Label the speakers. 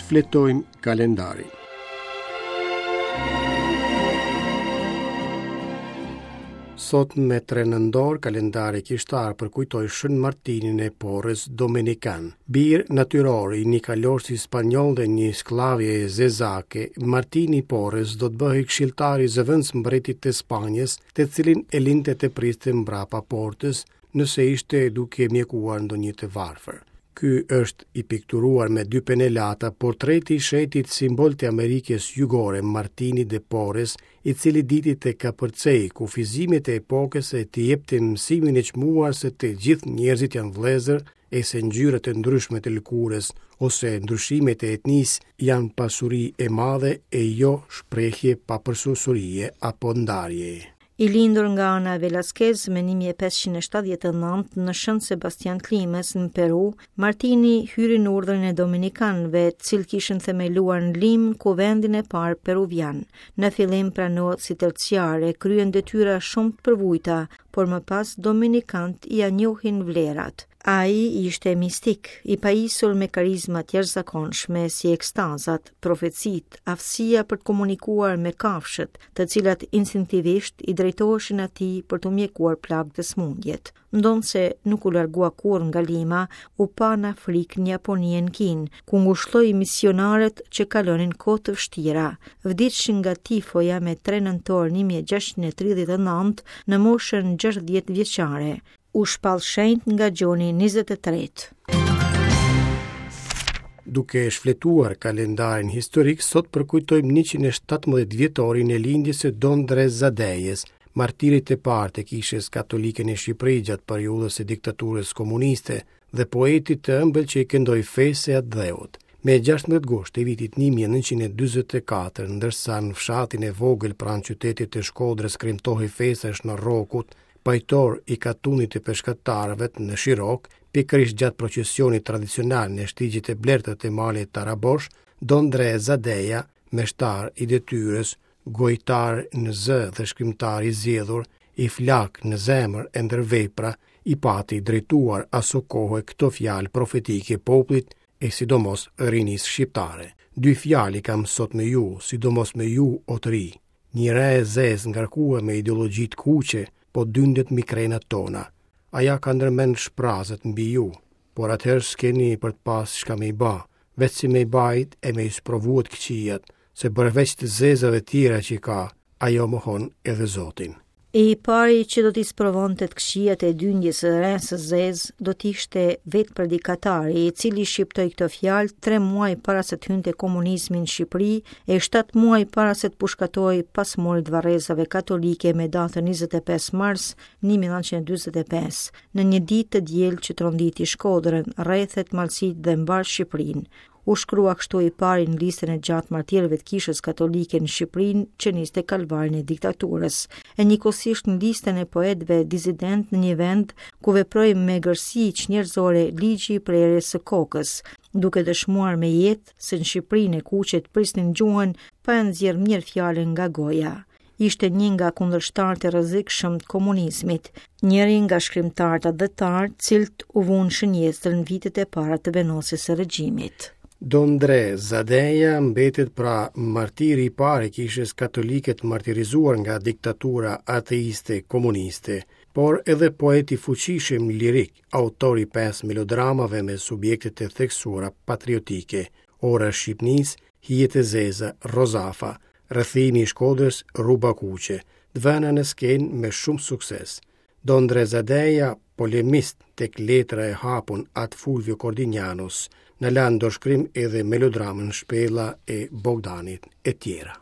Speaker 1: Shfletojmë kalendarin. Sot me 3 nëntor, kalendari kishtar përkujton Shën Martinin e Porres Dominikan. Bir natyror i një kalorësi spanjoll dhe një skllavje zezake, Martini i Porres do të bëhej këshilltar i zëvendësmbretit të Spanjës, të cilin e linte të priste mbrapa portës, nëse ishte duke mjekuar ndonjë të varfër. Ky është i pikturuar me dy penelata portreti i shenjtit simbol të Amerikës Jugore Martini de Porres, i cili diti të kapërcejë kufizimet e epokës e të jepte mësimin e çmuar se të gjithë njerëzit janë vëllezër e se ngjyrat e ndryshme të lëkurës ose ndryshimet e etnisë janë pasuri e madhe e jo shprehje papërsosërie apo ndarjeje.
Speaker 2: I lindur nga Ana Velasquez më 1579 në Shën Sebastian të Limës në Peru, Martini hyri në urdhrin e Dominikanëve, të cilët kishin themeluar në Limë kuvendin e parë peruvian. Në fillim pranohet si terciar e kryen detyra shumë të përvujta, por më pas dominikanët ia njohin vlerat. Ai ishte mistik, i pajisur me karizma të jashtëzakonshme si ekstazat, profecitë, aftësia për të komunikuar me kafshët, të cilat instinktivisht i drejtoheshin atij për t'u mjekuar plagët e sëmundjet. Ndonëse nuk u largua kurrë nga Lima, u pa në Afrikë, në Japoni e në Kinë, ku ngushëlloi misionarët që kalonin kohë të vështira. Vdiq nga tifoja me 3 nëntor 1639 në moshën 60 vjeçare. U shpall shenjt nga Gjoni 23.
Speaker 1: Duke shfletuar kalendarin historik, sot përkujtojmë 117 vjetorin e lindjes së Dom Ndre Zadejës, martirit të parë të kishës katolike në Shqipëri gjatë periudhës së diktaturës komuniste dhe poetit të ëmbël që i këndoi fesë e atdheut. Me 16 gusht të vitit 1944, ndërsa në fshatin e vogël pranë qytetit të Shkodrës kremtohej festa e Shën Rrokut, pajtor i katundit të peshkatarëve në Shirokë, pikërisht gjatë procesionit tradicional në shtigjet e blerta të malit Tarabosh, Dom Ndre Zadeja, meshtar i detyrës, gojëtar në zë dhe shkrimtar i zgjedhur, i flaktë në zemër e ndër vepra, i pati drejtuar asokohe këto fjalë profetike popullit e sidomos rinisë shqiptare. Dy fjalë i kam sot me ju, sidomos me ju o të ri. Një re e zezë ngarkue me ideologji të kuqe po dyndet mbi krenat tona. Aja ka ndërmend shprazet mbi ju, por atëherë s'keni për të pas çka me i ba, veç si me i bajt e me i sprovue të këqijat, se përveç të zezave tjera që ka, ajo mohon edhe Zotin.
Speaker 2: E i pari që do t'i sprovonte të këqijat e dyndjes së resë së zezë, do të ishte vetë predikatari, i cili shqiptoi këto fjalë tre muaj para se të hynte komunizmi në Shqipëri e 7 muaj para se të pushkatohej pas murit të varrezave katolike me datën 25 mars 1945, në një ditë të diel që tronditi Shkodrën, rrethet, malësitë dhe mbarë Shqipërinë. U shkrua kështu i pari në listën e gjatë martirëve të Kishës Katolike në Shqipërinë që niste kalvarin e diktaturës, e njëkohësisht në listën e poetëve disidentë në një vend ku veproi me egërsi çnjerëzore ligji i prerjes së kokës, duke dëshmuar me jetë se në Shqipërinë e kuqe të prisnin gjuhën pa e nxjerrë mirë fjalën nga goja. Ishte një nga kundërshtarët e rrezikshëm të komunizmit, njëri nga shkrimtarët atdhetarë, të cilët u vunë në shënjestër në vitet e para të vendosjes së regjimit.
Speaker 1: Dom Ndre Zadeja mbetet pra martiri i parë i kishës katolike të martirizuar nga diktatura ateiste komuniste, por edhe poet i fuqishëm lirik, autor i pesë melodramave me subjekte të theksuara patriotike, Ora e Shqipnisë, Hijet e Zeza, Rozafa, Rrethimi i Shkodrës, Rruba Kuqe, të vëna në skenë me shumë sukses. Dom Ndre Zadeja, polemist tek letra e hapun At Fulvio Kordinjanos, na la në dorëshkrim edhe melodramën Shpella e Bogdanit e tjera.